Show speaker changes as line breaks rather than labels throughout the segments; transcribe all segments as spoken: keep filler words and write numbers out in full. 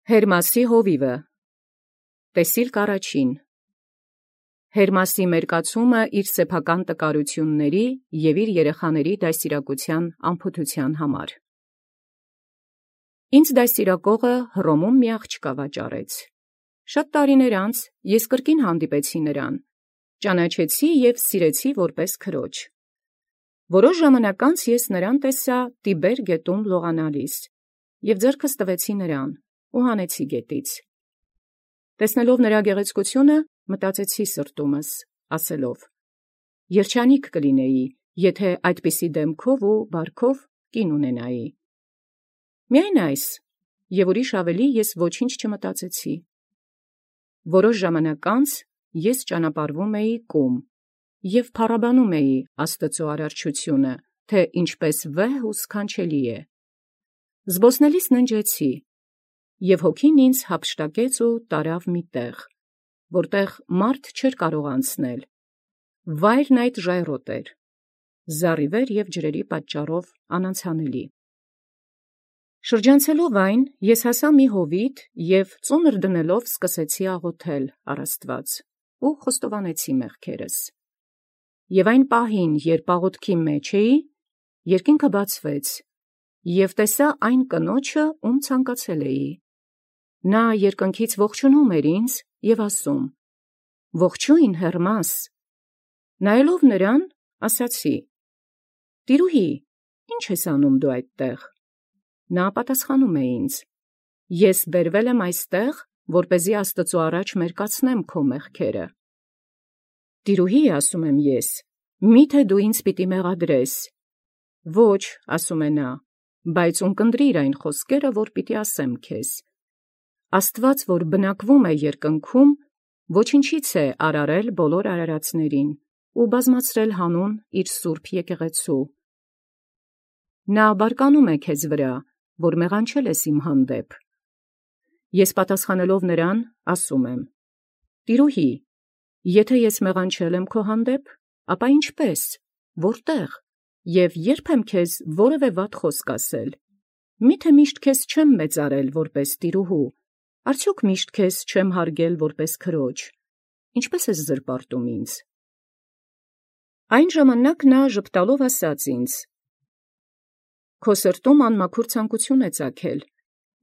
Հերմասի հովիվը տեսիլք առաջին Հերմասի մերկացումը իր սեփական տկարութիւնների և իր երեխաների դաստիարակութեան անփութութեան համար։ Ինձ դաստիարակողը Հռոմում մի աղջկա վաճառեց։ Շատ տարիներ անց ես կրկին հանդիպեցի նրան, ճանաչեցի և սիրեցի որպես քրոջ։ Որոշ ժամանակ անց ես նրան տեսա Տիբեր գետում լողանալիս, և ձեռքս տվեցի նրան ու հանեցի գետից։ Տեսնելով նրա գեղեցկությունը, մտածեցի սրտումս, ասելով. երջանիկ կլինեի, եթե այդպիսի դեմքով ու բարքով կին ունենայի։ Միայն այս, և ուրիշ ավելի ես ոչինչ չմտածեցի։ Որոշ ժամանակ անց ես ճանապարհվում էի կում և փառաբանում էի Աստուծոյ արարչությունը, թե ինչպէս վեհ ու սքանչելի է։ Զբոսնելիս ննջեցի, և հոգին ինձ յափշտակեց ու տարավ մի տեղ, որտեղ մարդ չէր կարող անցնել. վայրն այդ ժայռոտ էր, զառիվեր և ջրերի պատճառով անանցանելի։ Շրջանցելով այն, ես հասա մի հովիտ և ծունր դնելով սկսեցի աղոթել առ Աստուած ու խոստովանեցի մեղքերս։ Եւ այն պահին, երբ աղոթքի մեջ էի, երկինքը բացվեց, և տեսա այն կնոջը, ում ցանկացել էի։ Նա երկնքից ողջունում էր ինձ և ասում. «Ողջույն Հերմաս»։ Նայելով նրան, ասացի. «Տիրուհի, ի՞նչ ես անում դու այդտեղ»։ Նա պատասխանում է ինձ. «Ես բերվել եմ այստեղ, որպեսզի Աստուծոյ առաջ մերկացնեմ քո մեղքերը»։ «Տիրուհի, ասում եմ ես, մի՞թե դու ինձ պիտի մեղադրես»։ «Ոչ», ասում է նա, «բայց ունկնդրիր այն խոսքերը, որ պիտի ասեմ քեզ։ Աստուած, որ բնակվում է երկնքում, ոչնչից է արարել բոլոր արարածներին ու բազմացրել հանուն իր սուրբ եկեղեցու։ Նա բարկանում է քեզ վրա, որ մեղանչել ես իմ հանդեպ»։ Ես պատասխանելով նրան, ասում եմ. «Տիրուհի, եթե ես մեղանչել եմ քո հանդեպ, ապա ինչպե՞ս, որտե՞ղ, և ե՞րբ եմ քեզ որևէ վատ խոսք ասել։ Մի՞թե միշտ քեզ չեմ մեծարել որպես տիրուհու, արդյոք միշտ քեզ չեմ հարգել որպես քրոջ, ինչպե՞ս ես զրպարտում ինձ»։ Այն ժամանակ նա ժպտալով ասաց ինձ. «Քո սրտում անմաքուր ցանկություն է ծագել.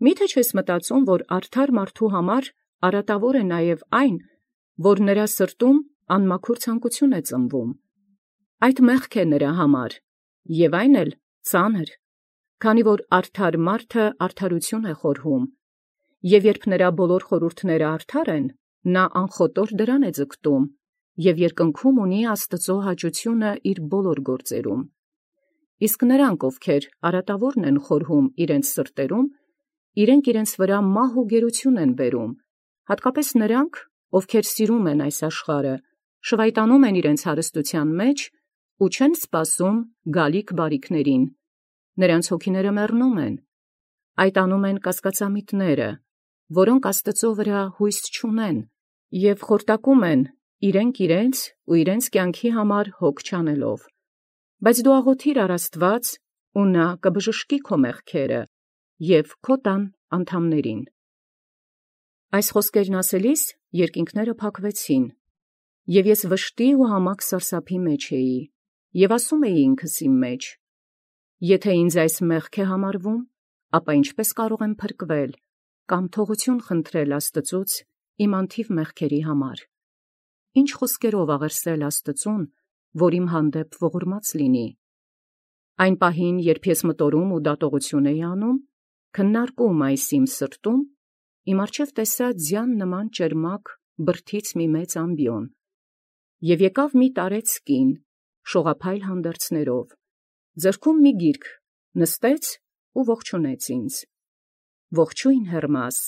մի՞թե չես մտածում, որ արդար մարդու համար արատաւոր է նաև այն, որ նրա սրտում անմաքուր ցանկություն է ծնվում. այդ մեղք է նրա համար, և այն էլ ծանր, քանի որ արդար մարդը արդարություն է խորհում, և երբ նրա բոլոր խորհուրդները արդար են, նա անխոտոր դրան է ձգտում, և երկնքում ունի Աստուծոյ հաճությունը իր բոլոր գործերում։ Իսկ նրանք, ովքեր արատաւորն են խորհում իրենց սրտերում, իրենք իրենց վրա մահ ու գերություն են բերում, հատկապես նրանք, ովքեր սիրում են այս աշխարհը, շվայտանում են իրենց հարստութեան մեջ ու չեն սպասում գալիք բարիքներին, նրանց հոգիները մեռնում են, այդ անում են կասկածամիտները, որոնք Աստուծոյ վրա հույս չունեն և խորտակում են իրենք իրենց ու իրենց կյանքի համար հոգ չանելով։ Բայց դու աղոթիր առ Աստուած, ու նա կբժշկի քո մեղքերը և քո տան անդամներին։ Այս խոսքերն ասելիս երկինքները փակվեցին, և ես վշտի ու համակ սարսափի մեջ էի, և ասում էի ինքս իմ մեջ. «Եթե ինձ այս մեղք է համարվում, ապա ինչպե՞ս կարող եմ փրկվել կամ թողություն խնդրել Աստուծուց իմ անթիվ մեղքերի համար։ Ինչ խոսքերով աղերսել Աստուծուն, որ իմ հանդեպ ողորմած լինի»։ Այն պահին, երբ ես մտորում ու դատողություն էի անում, քննարկում այս իմ սրտում, իմ առջև տեսա ձյան նման ճերմակ բրդից մի մեծ ամբիոն, և եկավ մի տարեց կին, շողափայլ հանդերձներով, ձեռքում մի գիրք, նստեց ու ողջունեց ինձ. «Ողջույն Հերմաս»։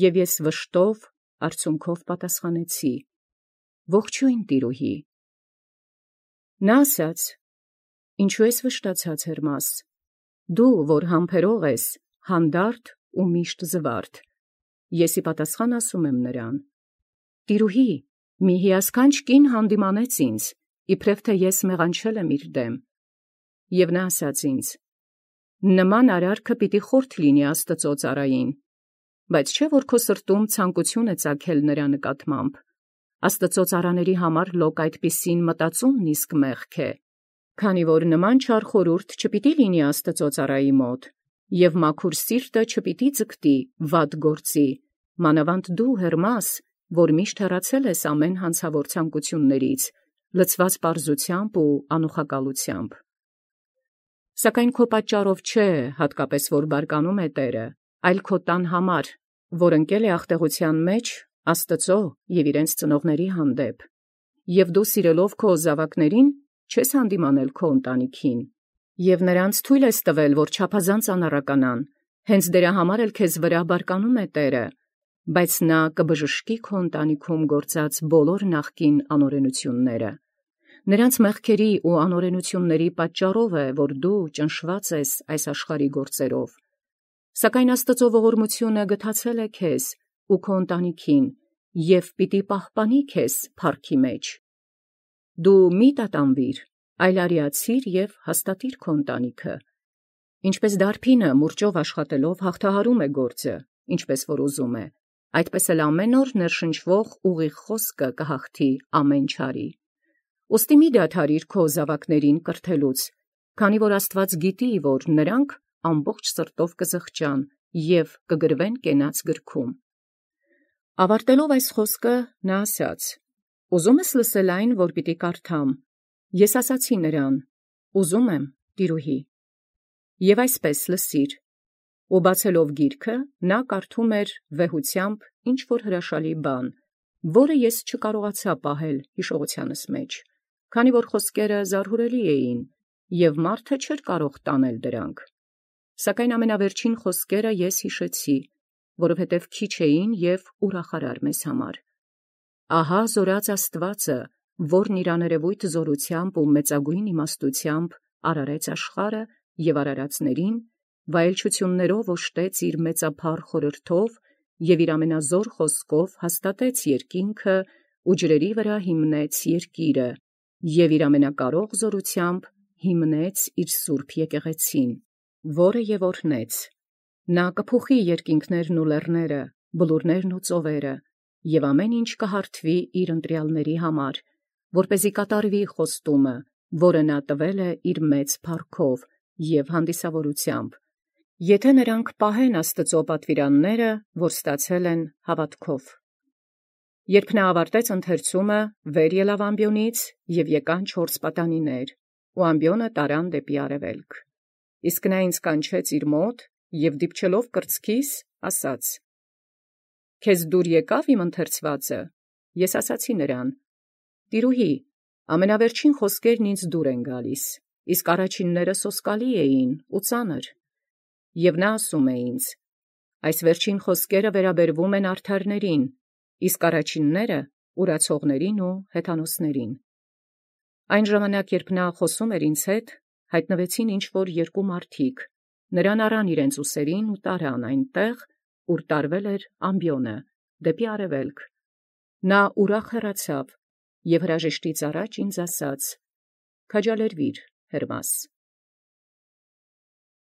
Եւ ես վշտով, արցունքով պատասխանեցի. «Ողջույն տիրուհի»։ Նա ասաց. «Ինչու ես վշտացած, Հերմաս, դու, որ համբերող ես, հանդարտ ու միշտ զվարթ»։ Ես ի պատասխան ասում եմ նրան. «Տիրուհի, մի հիասքանչ կին հանդիմանեց ինձ, իբրև թե ես մեղանչել եմ իր դեմ։ Եւ նա ասաց ինձ. նման արարքը պիտի խորթ լինի Աստուծոյ ծառային, բայց չէ՞ որ քո սրտում ցանկություն է ծագել նրա նկատմամբ։ Աստծո ծառաների համար լոկ այդպիսին մտածումն իսկ մեղք է, քանի որ նման չար խորհուրդ չպիտի լինի Աստծո ծառայի մոտ, և մաքուր սիրտը չպիտի ձգտի վատ գործի, մանավանդ դու Հերմաս, որ միշտ հեռացել ես ամեն հանցավոր ցանկություններից, լցված պարզությամբ ու անուխակալությամբ։ Սակայն քո պատճառով չէ, հատկապես որ բարկանում է Տերը, այլ քո տան համար, որ ընկել է աղտեղության մեջ Աստծո և իրենց ծնողների հանդեպ, և դու սիրելով քո զավակներին չես հանդիմանել քո ընտանիքին, և նրանց թույլ ես տվել, որ չափազանց անառականան, հենց դրա համար էլ քեզ վրա բարկանում է Տերը, բայց նա կբժշկի քո ընտանիքում գործած բոլոր նախկին անօրենությունները։ Նրանց մեղքերի ու անօրենությունների պատճառով է, որ դու ճնշված ես այս աշխարհի գործերով։ Սակայն Աստծո ողորմությունը գթացել է քեզ ու քո ընտանիքին և պիտի պահպանի քեզ փառքի մեջ։ Դու մի տատանվիր, այլ արիացիր և հաստատիր քո ընտանիքը։ Ինչպես դարբինը մուրճով աշխատելով հաղթահարում է գործը, ինչպես որ ուզում է, այդպես էլ ամեն օր ներշնչվող ուղիղ խոսքը կհաղթի ամեն չարի։ Ուստի մի դադարիր քո զավակներին կրթելուց, քանի որ Աստված գիտի, որ նրանք ամբողջ սրտով կզղջան և կգրվեն կենաց գրքում։ Ավարտելով այս խոսքը նա ասաց. «Ուզում ես լսել այն, որ պիտի կարդամ։ Ես ասացի նրան. ուզում եմ, տիրուհի։ Եվ այսպես լսիր»։ Ու բացելով գիրքը, նա կարդում էր վեհությամբ ինչ-որ հրաշալի բան, որը ես չկարողացա պահել հիշողությանս մեջ, քանի որ խոսքերը զարհուրելի էին, և մարդը չէր կարող տանել դրանք։ Սակայն ամենավերջին խոսքերը ես հիշեցի, որովհետև քիչ էին և ուրախարար մեզ համար։ Ահա զորած Աստվածը, որն իր աներևույթ զորությամբ ու մեծագույն իմաստությամբ արարեց աշխարհը և արարածներին, վայելչություններով օժտեց իր մեծափառ խորհրդով և իր ամենազոր խոսքով հաստատեց երկինքը ու ջրերի վրա հիմնեց երկիրը և իր ամենակարող զորությամբ հիմնեց իր սուրբ եկեղեցին, որը և օրհնեց։ Նա կփոխի երկինքներն ու լեռները, բլուրներն ու ծովերը, և ամեն ինչ կհարթվի իր ընտրյալների համար, որպեսզի կատարվի խոստումը, որը նա տվել է իր մեծ փառքով և հանդիսավորությամբ, եթե նրանք պահեն Աստծո պատվիրանները, որ ստացել են հավատքով։ Երբ նա ավարտեց ընթերցումը, վեր ելավ ամբիոնից, և եկան չորս պատանիներ, ու ամբիոնը տարան դեպի արևելք։ Իսկ նա ինձ կանչեց իր մոտ և դիպչելով կրծքիս, ասաց. «Քեզ դուր եկա՞վ իմ ընթերցվածը»։ Ես ասացի նրան. «Տիրուհի, ամենավերջին խոսքերն ինձ դուր են գալիս, իսկ առաջինները սոսկալի էին ու ծանր»։ Եւ նա ասում է ինձ. «Այս վերջին խոսքերը վերաբերվում են արդարներին, իսկ առաջինները ուրացողներին ու հեթանոսներին»։ Այն ժամանակ, երբ նա խոսում էր ինձ հետ, հայտնվեցին ինչ-որ երկու մարդիկ, նրան առան իրենց ուսերին ու տարան այնտեղ, ուր տարվել էր ամբիոնը, դեպի արևելք։ Նա ուրախ հեռացավ և հրաժեշտից առաջ ինձ ասաց. «Քաջալերվիր, Հերմաս»։